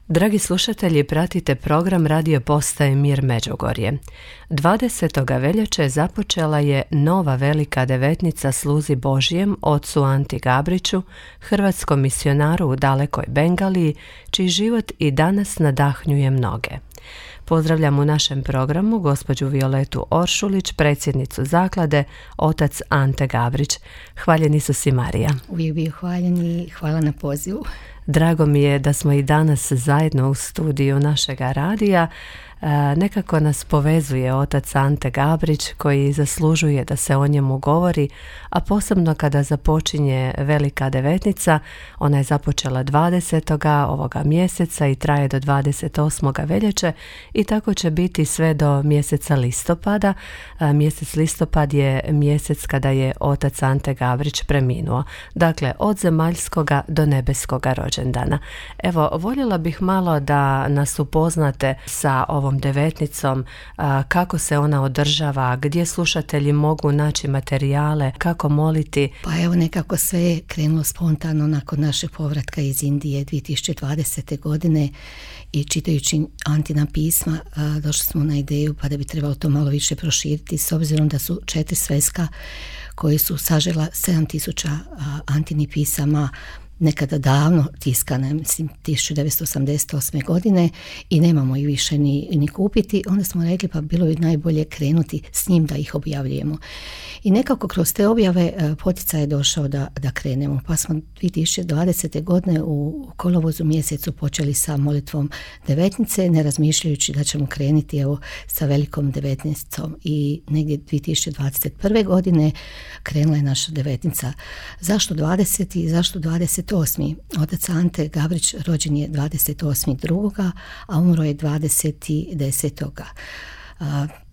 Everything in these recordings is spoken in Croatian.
Dragi slušatelji, pratite program radio postaje Mir Međugorje. 20. veljače započela je nova velika devetnica sluzi Božjem ocu Anti Gabriću, hrvatskom misionaru u dalekoj Bengaliji, čiji život i danas nadahnjuje mnoge. Pozdravljam u našem programu gospođu Violetu Oršulić, predsjednicu zaklade otac Ante Gabrić. Hvaljeni su si, Marija. Uvijek bio hvaljen i hvala na pozivu. Drago mi je da smo i danas zajedno u studiju našega radija. Nekako nas povezuje otac Ante Gabrić, koji zaslužuje da se o njemu govori, a posebno kada započinje velika devetnica. Ona je započela 20. ovoga mjeseca i traje do 28. veljače i tako će biti sve do mjeseca listopada. Mjesec listopad je mjesec kada je otac Ante Gabrić preminuo. Dakle, od zemaljskoga do nebeskoga rođendana. Evo, voljela bih malo da nas upoznate sa ovom devetnicom, kako se ona održava, gdje slušatelji mogu naći materijale, kako moliti. Pa evo, nekako sve je krenulo spontano nakon našeg povratka iz Indije 2020. godine i čitajući Antina pisma došli smo na ideju pa da bi trebalo to malo više proširiti, s obzirom da su 4 sveska koje su sažela 7000 Antinih pisama nekada davno tiskane, mislim 1988. godine i nemamo ih više ni kupiti. Onda smo rekli pa bilo bi najbolje krenuti s njim da ih objavljujemo. I nekako kroz te objave poticaj je došao da krenemo. Pa smo 2020. godine u kolovozu mjesecu počeli sa molitvom devetnice, ne razmišljajući da ćemo krenuti evo sa velikom devetnicom. I negdje 2021. godine krenula je naša devetnica. Zašto 20. i zašto 28. Otac Ante Gabrić rođen je 28.2. a umro je 20.10.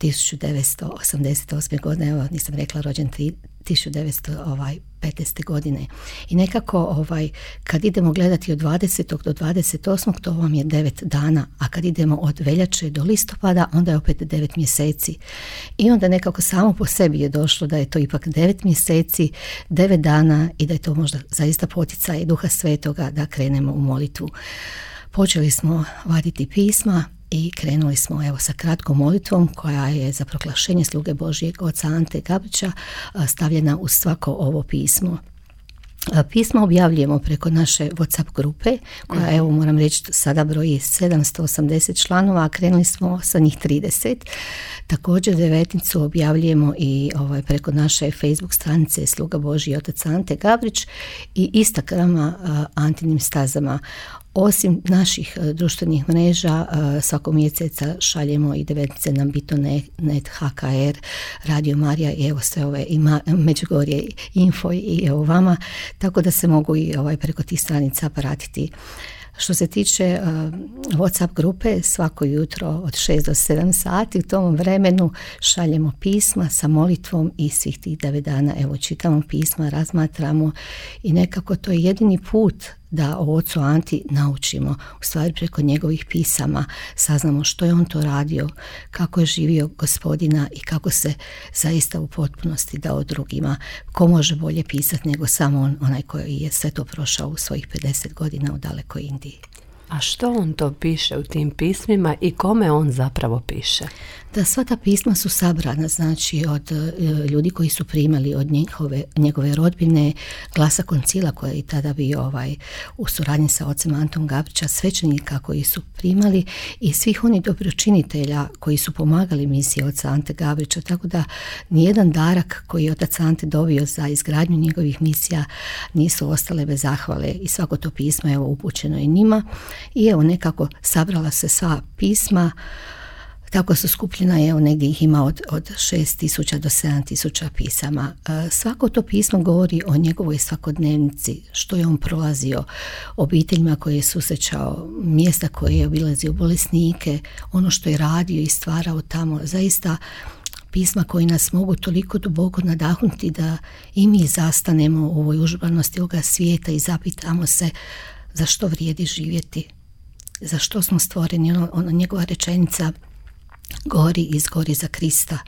1988. godine, evo nisam rekla rođen 1915. godine. I nekako kad idemo gledati od 20. do 28. to vam je 9 dana, a kad idemo od veljače do listopada onda je opet 9 mjeseci. I onda nekako samo po sebi je došlo da je to ipak 9 mjeseci, 9 dana i da je to možda zaista poticaj Duha Svetoga da krenemo u molitvu. Počeli smo vaditi pisma i krenuli smo evo sa kratkom molitvom koja je za proglašenje sluge Božjeg oca Ante Gabrića stavljena u svako ovo pismo. Pismo objavljujemo preko naše WhatsApp grupe koja evo moram reći sada broji 780 članova, a krenuli smo sa njih 30. Također devetnicu objavljujemo i preko naše Facebook stranice Sluga Božji otac Ante Gabrić i Instagrama Antinim stazama. Osim naših društvenih mreža, svakog mjeseca šaljemo i devetnice na Bito.net, HKR, Radio Marija i evo sve ove Međugorje Info i evo vama, tako da se mogu i preko tih stranica pratiti. Što se tiče WhatsApp grupe, svako jutro od 6 do 7 sati u tom vremenu šaljemo pisma sa molitvom i svih tih 9 dana evo čitamo pisma, razmatramo i nekako to je jedini put da o ocu Anti naučimo, u stvari preko njegovih pisama saznamo što je on to radio, kako je živio Gospodina i kako se zaista u potpunosti dao drugima. Ko može bolje pisati nego samo on, onaj koji je sve to prošao u svojih 50 godina u dalekoj Indiji. A što on to piše u tim pismima i kome on zapravo piše? Da, sva ta pisma su sabrana, znači od ljudi koji su primali od njegove rodbine, glasa koncila koji je tada bio u suradnji sa ocem Antom Gabrića, svećenika koji su primali i svih onih dobročinitelja koji su pomagali misiji oca Ante Gabrića, tako da nijedan darak koji je otac Ante dobio za izgradnju njegovih misija nisu ostale bez zahvale i svako to pismo je upućeno i njima. I evo nekako sabrala se sva pisma, tako su skupljena, evo negdje ih ima od 6.000 do 7.000 pisama. Svako to pismo govori o njegovoj svakodnevnici, što je on prolazio, obiteljima koje je susrećao, mjesta koje je obilazio, bolesnike, ono što je radio i stvarao tamo. Zaista pisma koji nas mogu toliko duboko nadahnuti da i mi zastanemo u ovoj užurbanosti ovoga svijeta i zapitamo se za što vrijedi živjeti, za što smo stvoreni. Ona njegova rečenica gori i izgori za Krista.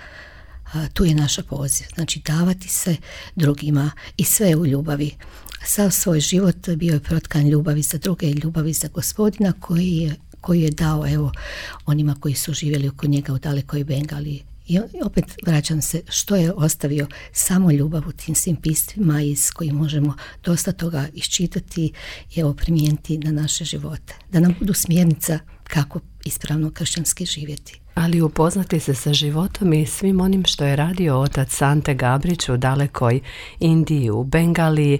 Tu je naša poziv, znači davati se drugima i sve u ljubavi. Sav svoj život bio je protkan ljubavi za druge i ljubavi za Gospodina koji je dao onima koji su živjeli oko njega u dalekoj Bengaliji. I opet vraćam se, što je ostavio? Samo ljubav u tim svim pismima iz kojih možemo dosta toga iščitati i primijeniti na naše živote. Da nam budu smjernica kako ispravno kršćanski živjeti. Ali upoznati se sa životom i svim onim što je radio otac Ante Gabrić u dalekoj Indiji, u Bengaliji.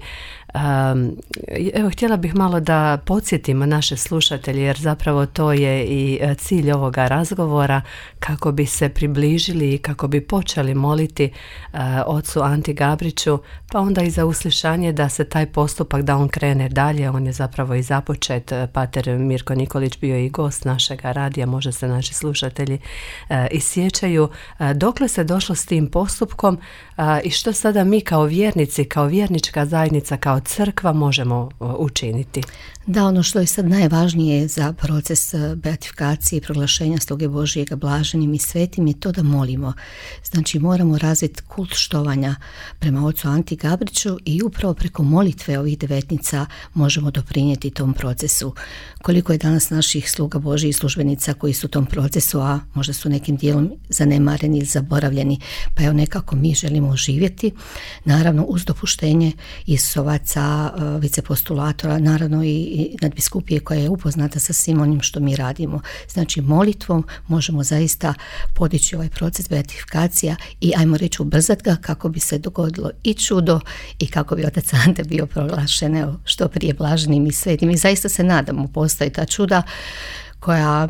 Evo, htjela bih malo da podsjetimo naše slušatelje, jer zapravo to je i cilj ovoga razgovora, kako bi se približili i kako bi počeli moliti ocu Anti Gabriću, pa onda i za uslišanje da se taj postupak, da on krene dalje. On je zapravo i započet. Pater Mirko Nikolić bio i gost našega radija, možda se naši slušatelji i sjećaju. Dokle se došlo s tim postupkom i što sada mi kao vjernici, kao vjernička zajednica, kao crkva možemo učiniti? Da, ono što je sad najvažnije za proces beatifikacije i proglašenja sluge Božijega blaženim i svetim je to da molimo. Znači moramo razviti kult štovanja prema ocu Anti Gabriću i upravo preko molitve ovih devetnica možemo doprinijeti tom procesu. Koliko je danas naših sluga Božijih službenica koji su u tom procesu, a možda su nekim dijelom zanemareni ili zaboravljeni, pa evo nekako mi želimo oživjeti, naravno uz dopuštenje Isusovaca, vicepostulatora, naravno i nadbiskupije koja je upoznata sa svim onim što mi radimo. Znači molitvom možemo zaista podići ovaj proces beatifikacija i ajmo reći ubrzati ga kako bi se dogodilo i čudo i kako bi otac Ante bio proglašen što prije blaženim i svetim. I zaista se nadamo, postoji ta čuda koja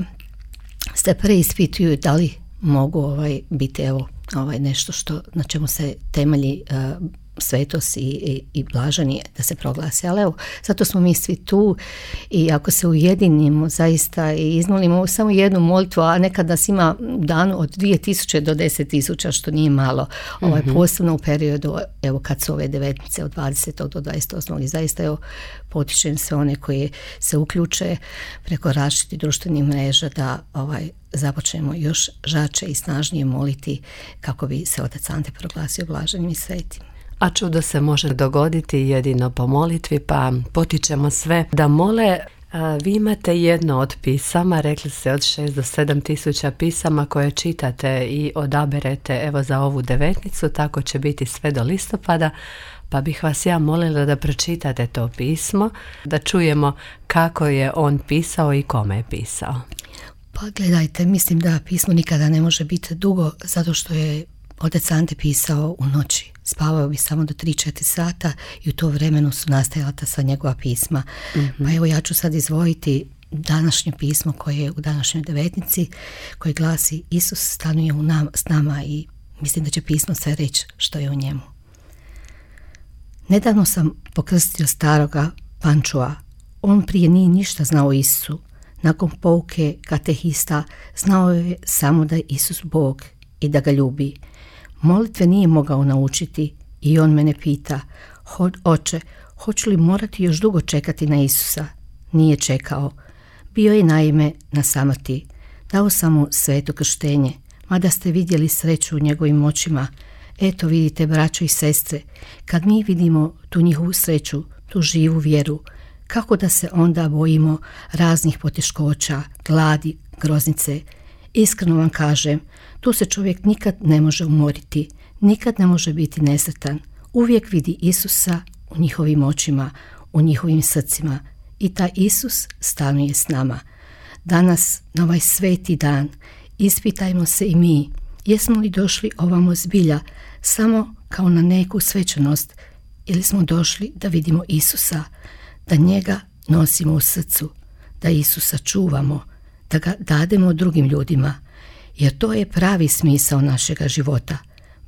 se preispituju da li mogu biti nešto na čemu se temelji svetost i blaženi da se proglasi. Ali evo, zato smo mi svi tu i ako se ujedinimo zaista i izmolimo samo jednu molitvu, a nekad nas ima u danu od 2000 do 10.000, što nije malo, posebno u periodu evo kad su ove devetnice od 20. do 28. i zaista potičem sve one koji se uključe preko različitih društvenih mreža da započnemo još žače i snažnije moliti kako bi se otac Ante proglasio blaženim i svetim. A čudo se može dogoditi jedino po molitvi, pa potičemo sve da mole. Vi imate jedno od pisama, rekli ste od 6 do 7 tisuća pisama koje čitate i odaberete evo za ovu devetnicu, tako će biti sve do listopada, pa bih vas ja molila da pročitate to pismo, da čujemo kako je on pisao i kome je pisao. Pa gledajte, mislim da pismo nikada ne može biti dugo, zato što je otac Ante pisao u noći. Spavao bi samo do 3-4 sata i u to vremenu su nastajala ta sva njegova pisma. Pa evo ja ću sad izdvojiti današnje pismo koje je u današnjoj devetnici, koje glasi: Isus stanuje s nama, i mislim da će pismo sve reći što je u njemu. Nedavno sam pokrstio staroga Pančua. On prije nije ništa znao o Isusu. Nakon pouke katehista znao je samo da je Isus Bog i da ga ljubi. Molitve nije mogao naučiti i on mene pita: Oče, hoću li morati još dugo čekati na Isusa? Nije čekao. Bio je naime na samrti. Dao sam mu sveto krštenje, mada ste vidjeli sreću u njegovim očima. Eto vidite, braćo i sestre, kad mi vidimo tu njihovu sreću, tu živu vjeru, kako da se onda bojimo raznih poteškoća, gladi, groznice? Iskreno vam kažem, tu se čovjek nikad ne može umoriti, nikad ne može biti nesretan. Uvijek vidi Isusa u njihovim očima, u njihovim srcima, i taj Isus stanuje s nama. Danas, na ovaj sveti dan, ispitajmo se i mi, jesmo li došli ovamo zbilja samo kao na neku svečanost, ili smo došli da vidimo Isusa, da njega nosimo u srcu, da Isusa čuvamo, da ga dademo drugim ljudima, jer to je pravi smisao našega života.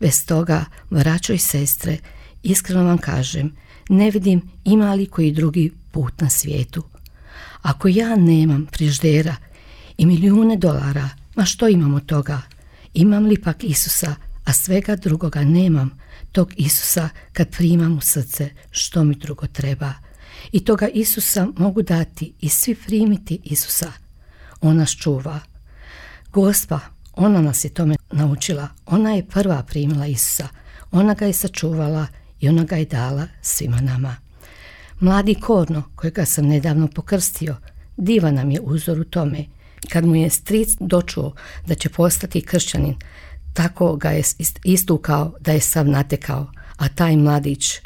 Bez toga, braćo i sestre, iskreno vam kažem, ne vidim ima li koji drugi put na svijetu. Ako ja nemam frižidera i milijune dolara, ma što imam od toga? Imam li pak Isusa, a svega drugoga nemam, tog Isusa kad primam u srce, što mi drugo treba? I toga Isusa mogu dati i svi primiti Isusa. On nas čuva. Gospa, ona nas je tome naučila. Ona je prva primila Isusa. Ona ga je sačuvala i ona ga je dala svima nama. Mladi Korno, kojega sam nedavno pokrstio, divan nam je uzor u tome. Kad mu je stric dočuo da će postati kršćanin, tako ga je istukao da je sav natekao, a taj mladić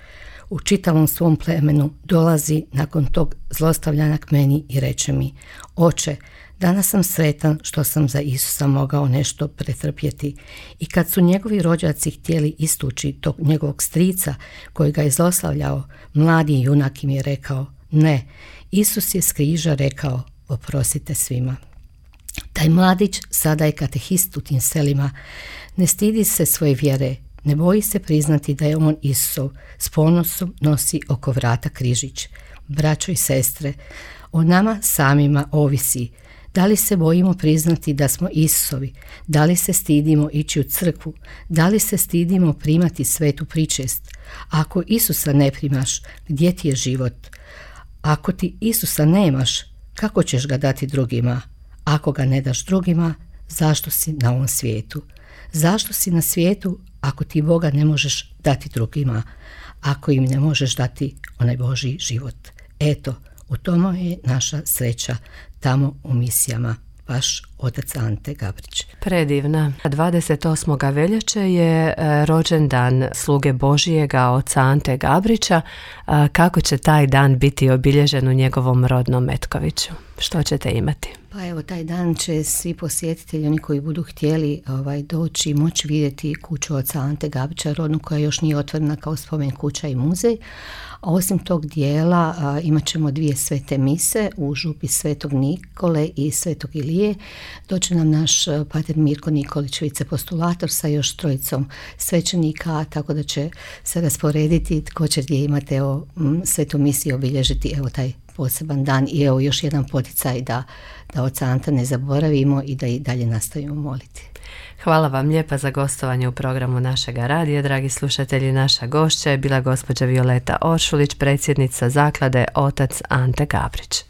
u čitavom svom plemenu dolazi nakon tog zlostavljanja k meni i reče mi: oče, danas sam sretan što sam za Isusa mogao nešto pretrpjeti. I kad su njegovi rođaci htjeli istući tog njegovog strica koji ga je zlostavljao, mladi junak im je rekao: ne, Isus je s križa rekao: oprostite svima. Taj mladić sada je katehist u tim selima, ne stidi se svoje vjere, ne boji se priznati da je on Isusov, s ponosom nosi oko vrata križić. Braćo i sestre, o nama samima ovisi da li se bojimo priznati da smo Isusovi, da li se stidimo ići u crkvu, da li se stidimo primati svetu pričest. Ako Isusa ne primaš, gdje ti je život? Ako ti Isusa nemaš, kako ćeš ga dati drugima? Ako ga ne daš drugima, zašto si na ovom svijetu? Zašto si na svijetu ako ti Boga ne možeš dati drugima, ako im ne možeš dati onaj Božji život? Eto, u tome je naša sreća tamo u misijama. Vaš otac Ante Gabrić. Predivna. 28. veljače je rođendan sluge Božijega oca Ante Gabrića. Kako će taj dan biti obilježen u njegovom rodnom Metkoviću? Što ćete imati? Pa evo, taj dan će svi posjetitelji, oni koji budu htjeli doći, moći vidjeti kuću oca Ante Gabrića rodnu, koja još nije otvorena kao spomen kuća i muzej. A osim tog dijela imat ćemo 2 svete mise u župi Svetog Nikole i Svetog Ilije. Doće nam naš pater Mirko Nikolić, vicepostulator, sa još 3 svećenika, tako da će se rasporediti tko će gdje imati svetu misiju obilježiti taj poseban dan. I evo još jedan poticaj da oca Anta ne zaboravimo i da i dalje nastavimo moliti. Hvala vam lijepa za gostovanje u programu našega radija. Dragi slušatelji, naša gošća je bila gospođa Violeta Oršulić, predsjednica zaklade Otac Ante Gabrić.